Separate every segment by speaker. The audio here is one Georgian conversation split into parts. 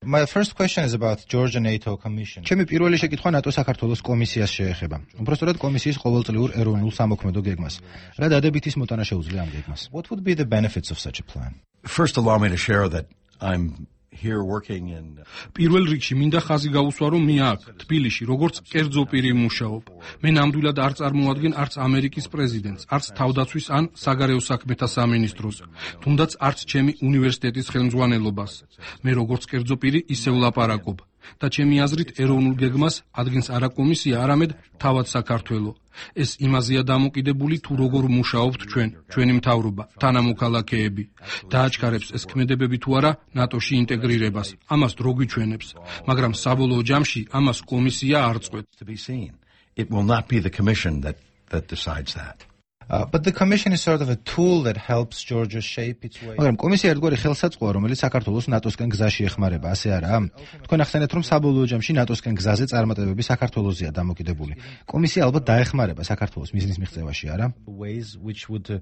Speaker 1: My first question is about Georgia NATO Commission. ჩემი პირველი შეკითხვა ნატო საქართველოს კომისიას შეეხება. უბრალოდ კომისიის ყოველწლიურ ეროვნულ სამოქმედო გეგმას. რა დადებითის მოტანა შეუძლია ამ გეგმას? What would be the benefits of such a plan?
Speaker 2: First, allow me to share that I'm here working in
Speaker 3: პირველ რიგში მინდა ხაზი გაუსვა, რომ მე აქ თბილისში როგორც კერძო პირი მუშაობ. მე ნამდვილად არ წარმოადგენ არც ამერიკის პრეზიდენტს, არც თავდაცვის ან საგარეო საქმეთა სამინისტროს, თუნდაც არც ჩემი უნივერსიტეტის ხელმძღვანელობას. მე როგორც კერძო პირი ისევ ლაპარაკობ და ჩემი აზრით ეროვნულ გეგმას ადგენს არა კომისია, არამედ თავად საქართველო. ეს იმაზეა დამოკიდებული, თუ როგორ მუშაობთ ჩვენი მთავრობა, თანამოქალაქეები. დააჩქარებს ეს ქმედებები თუ არა ნატოში ინტეგრირებას. ამას დრო გვიჩვენებს, მაგრამ საბოლოო ჯამში ამას კომისია არ წყვეტს.
Speaker 2: It will not be the commission that decides that.
Speaker 1: But the commission is sort of a tool that helps Georgia shape its way. მაგრამ კომისია ერთგვარი ხელსაწყოა, რომელიც საქართველოს ნატოსკენ გზაში ეხმარება, ასე არაა? თქვენ ახსენეთ, რომ საბოლოო ჯამში ნატოსკენ გზაზე წარმატებები საქართველოსია დამოკიდებული. კომისია ალბათ დაეხმარება საქართველოს მიზნის მიღწევაში, არა? Ways which would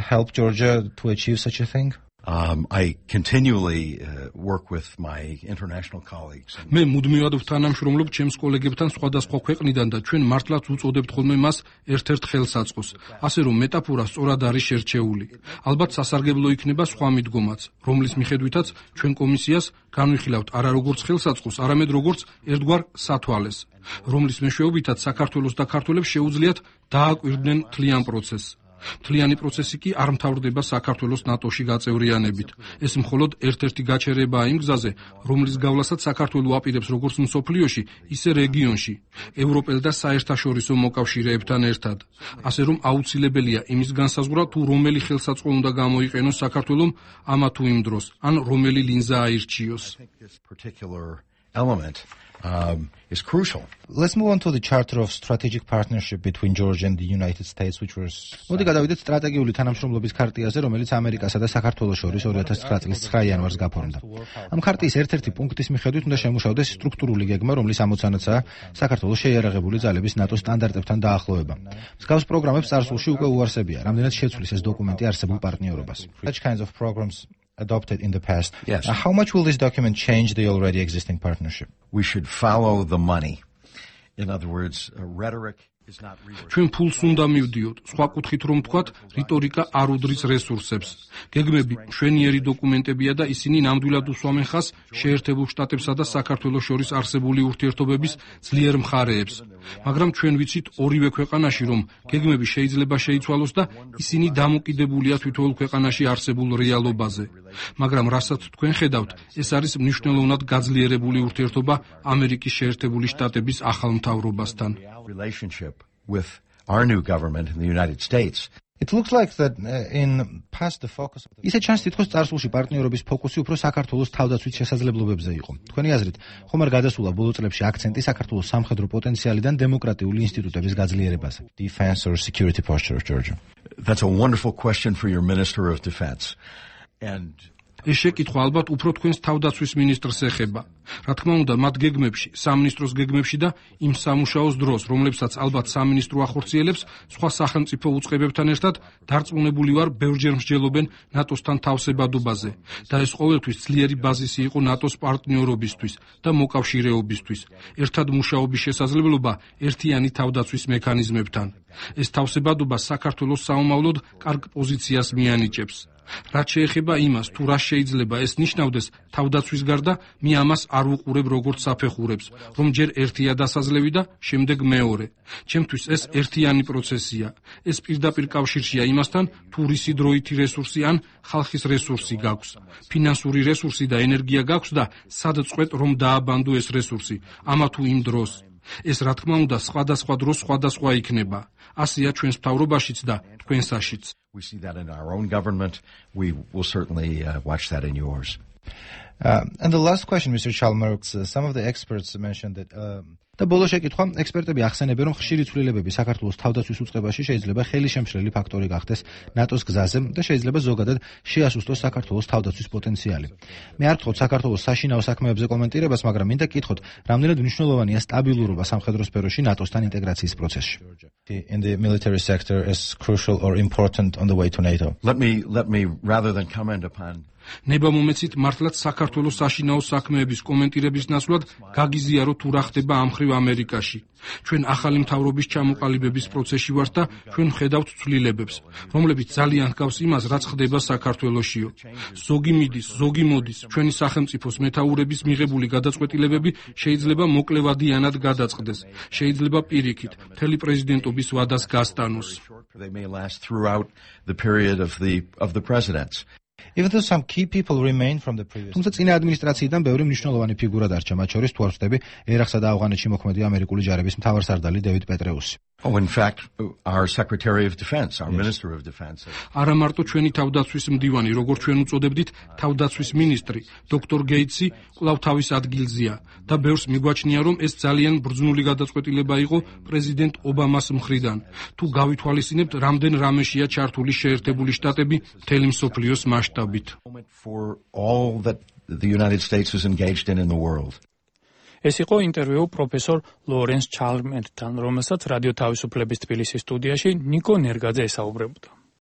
Speaker 1: help Georgia to achieve such a thing?
Speaker 2: I continually work with my international colleagues.
Speaker 3: მე მუდმივად ვთანამშრომლობ ჩემს კოლეგებთან სხვადასხვა ქვეყნიდან და ჩვენ მართლაც უწოდებთ ხოლმე მას ერთ-ერთ ხელსაწყოს. ასე რომ მეტაფორა სწორად არის შერჩეული. ალბათ სასარგებლო იქნება სხვა მიდგომაც, რომლის მიხედვითაც ჩვენ კომისიას განვიხილავთ არა როგორც ხელსაწყოს, არამედ როგორც ერთგვარ სათვალეს, რომლის მეშვეობითაც საქართველოს და ქართველებს შეუძლიათ დააკვირდნენ მთლიან პროცესს. მთლიანი პროცესი კი არ მთავრდება საქართველოს ნატოში გაწევრიანებით. ეს მხოლოდ ერთ-ერთი გაჩერებაა იმ გზაზე, რომლის გავლასაც საქართველო აპირებს როგორც მსოფლიოში, ისე რეგიონში, ევროპელ და საერთაშორისო მოკავშირეებთან ერთად. ასე რომ აუცილებელია იმის განსაზღვრა, თუ რომელი ხელსაწყო უნდა გამოიყენოს საქართველომ ამა თუ იმ დროს, ან რომელი ლინზა აირჩიოს.
Speaker 2: Is crucial.
Speaker 1: Let's move on to the Charter of Strategic Partnership between Georgia and the United States, which was. მოდი გადავიდეთ სტრატეგიული თანამშრომლობის ქარტიაზე, რომელიც ამერიკასა და საქართველოს შორის 2009 წლის 9 იანვარს გაფორმდა. ამ ქარტიის ერთ-ერთი პუნქტის მიხედვით უნდა შემუშავდეს სტრუქტურული გეგმა, რომლის ამოცანაცაა საქართველოს შეიარაღებული ძალების ნატოს სტანდარტებთან დაახლოება. მსგავს პროგრამებს წარსულში უკვე უარსებია, რამდენად შეცვლის ეს დოკუმენტი არსებულ პარტნიორობას. Such kinds of programs adopted in the past.
Speaker 2: Yes.
Speaker 1: How much will this document change the already existing partnership?
Speaker 2: We should follow the money. In other words, rhetoric is not resource.
Speaker 3: ჩვენ ფულს უნდა მივდიოთ. სხვა კუთხით რომ ვთქვათ, რიტორიკა არ უდრის რესურსებს. გეგმები მშვენიერი დოკუმენტებია და ისინი ნამდვილად უსვამენ ხაზს შეერთებულ შტატებსა და საქართველოს შორის არსებული ურთიერთობების ძლიერ მხარეებს. მაგრამ ჩვენ ვიცით ორივე ქვეყანაში, რომ გეგმები შეიძლება შეიცვალოს და ისინი დამოკიდებულია თითოეულ ქვეყანაში არსებულ რეალობაზე. მაგრამ რასაც თქვენ ხედავთ, ეს არის მნიშვნელოვნად გაძლიერებული ურთიერთობა ამერიკის შეერთებული შტატების ახალ მთავრობასთან.
Speaker 2: Relationship with our new government in the United States.
Speaker 1: It looks like that in past the focus of the. ისე ჩანს, თითქოს წარსულში პარტნიორობის ფოკუსი უფრო საქართველოს თავდაცვის შესაძლებლობებზე იყო. თქვენი აზრით, ხომ არ გადასულა ბოლო წლებში აქცენტი საქართველოს სამხედრო პოტენციალიდან დემოკრატიული ინსტიტუტების გაძლიერებაზე? Defense or security posture of Georgia?
Speaker 2: That's a wonderful question for your Minister of Defense. And
Speaker 3: ეს შეკითხვა ალბათ უფრო თქვენს თავდაცვის მინისტრს ეხება. რა თქმა უნდა, მათ გეგმებში, სამინისტროს გეგმებში და იმ სამუშაოს დროს, რომლებსაც ალბათ სამინისტრო ახორციელებს, სხვა სახელმწიფო უწყებებთან ერთად დარწმუნებული ვარ, ბევრჯერ მსჯელობენ ნატოსთან თავსებადობაზე და ეს ყოველთვის ძლიერი ბაზისი იყო ნატოს პარტნიორობისთვის და მოკავშირეობისთვის. ერთად მუშაობის შესაძლებლობა ერთიანი თავდაცვის მექანიზმებთან. ეს თავსებადობა საქართველოს საომავლოდ კარგ პოზიციას მიანიჭებს. რაც შეეხება იმას, თუ რა შეიძლება ეს ნიშნავდეს თავდაცვის გარდა, მე ამას არ ვუყურებ როგორც საფეხურებს, რომ ჯერ ერთია დასაძლევი და შემდეგ მეორე. ჩემთვის ეს ერთიანი პროცესია. ეს პირდაპირ კავშირშია იმასთან, თუ რისი დროითი რესურსი ან ხალხის რესურსი გაქვს. ფინანსური რესურსი და ენერგია გაქვს და სად წყვეტ რომ დააბანდო ეს რესურსი, ამა თუ იმ დროს. ეს რა თქმა უნდა სხვადასხვა დროს სხვადასხვა იქნება. ასეა ჩვენს მთავრობაშიც და თქვენსაშიც.
Speaker 2: We see that in our own government. We will certainly watch that in yours.
Speaker 1: And the last question, Mr. Chalmers, some of the experts mentioned that და ბოლო შეკითხვა, ექსპერტები ახსენებენ, რომ ხშირი ცვლილებები საქართველოს თავდაცვის უწყებაში შეიძლება ხელისშემშლელი ფაქტორი გახდეს ნატოს გზაზე და შეიძლება ზოგადად შეასუსტოს საქართველოს თავდაცვის პოტენციალი. მე არ ვთხოვთ საქართველოს საშინაო საქმეებზე კომენტირებას, მაგრამ მინდა გკითხოთ, რამდენად მნიშვნელოვანია სტაბილურობა სამხედრო სფეროში ნატოსთან ინტეგრაციის პროცესში. In the military sector is crucial or important on the way to NATO.
Speaker 2: Let me rather than comment upon
Speaker 3: ნებამომეცით მართლაც საქართველოს საშინაო საქმეების კომენტირების ნაცვლად გაგიზიაროთ თუ რა ხდება ამ მხრივ ამერიკაში. ჩვენ ახალი მთავრობის ჩამოყალიბების პროცესში ვართ და ჩვენ ვხედავთ ცვლილებებს, რომლებიც ძალიან ჰგავს იმას, რაც ხდება საქართველოშიო. ზოგი მიდის, ზოგი მოდის, ჩვენი სახელმწიფოს მეთაურების მიღებული გადაწყვეტილებები შეიძლება მოკლევადიანად გადაწყდეს, შეიძლება პირიქით, მთელი პრეზიდენტობის ვადას გასტანოს.
Speaker 2: They may last throughout the period of the presidents.
Speaker 1: Even though some key people remain from the previous. თუმცა წინა ადმინისტრაციიდან ბევრი მნიშვნელოვანი ფიგურა დარჩა, მათ შორის თუ არ ვხვდები, ერაყსა და ავღანეთში მოქმედი ამერიკული ჯარების მთავარსარდალი დევიდ პეტრეუსი.
Speaker 2: Oh, in fact, our Secretary of Defense, our Minister of Defense.
Speaker 3: არა მარტო ჩვენი თავდაცვის მდივანი, როგორც ჩვენ უწოდებდით, თავდაცვის მინისტრი, დოქტორ გეიტსი კვლავ თავის ადგილზეა და ბევრს მიგვაჩნია, რომ ეს ძალიან ბრძნული გადაწყვეტილება იყო პრეზიდენტ ობამას მხრიდან. თუ გავითვალისწინებთ, რამდენ რამეშია ჩართული შეერთებული შტატები მთელი მსოფლიოს მასშტაბით.
Speaker 2: For all that the United States is engaged in the world.
Speaker 4: ეს იყო ინტერვიუ პროფესორ ლორენს ჩალმერსთან, რომელსაც რადიო თავისუფლების თბილისის სტუდიაში ნიკო ნერგაძე ესაუბრებოდა.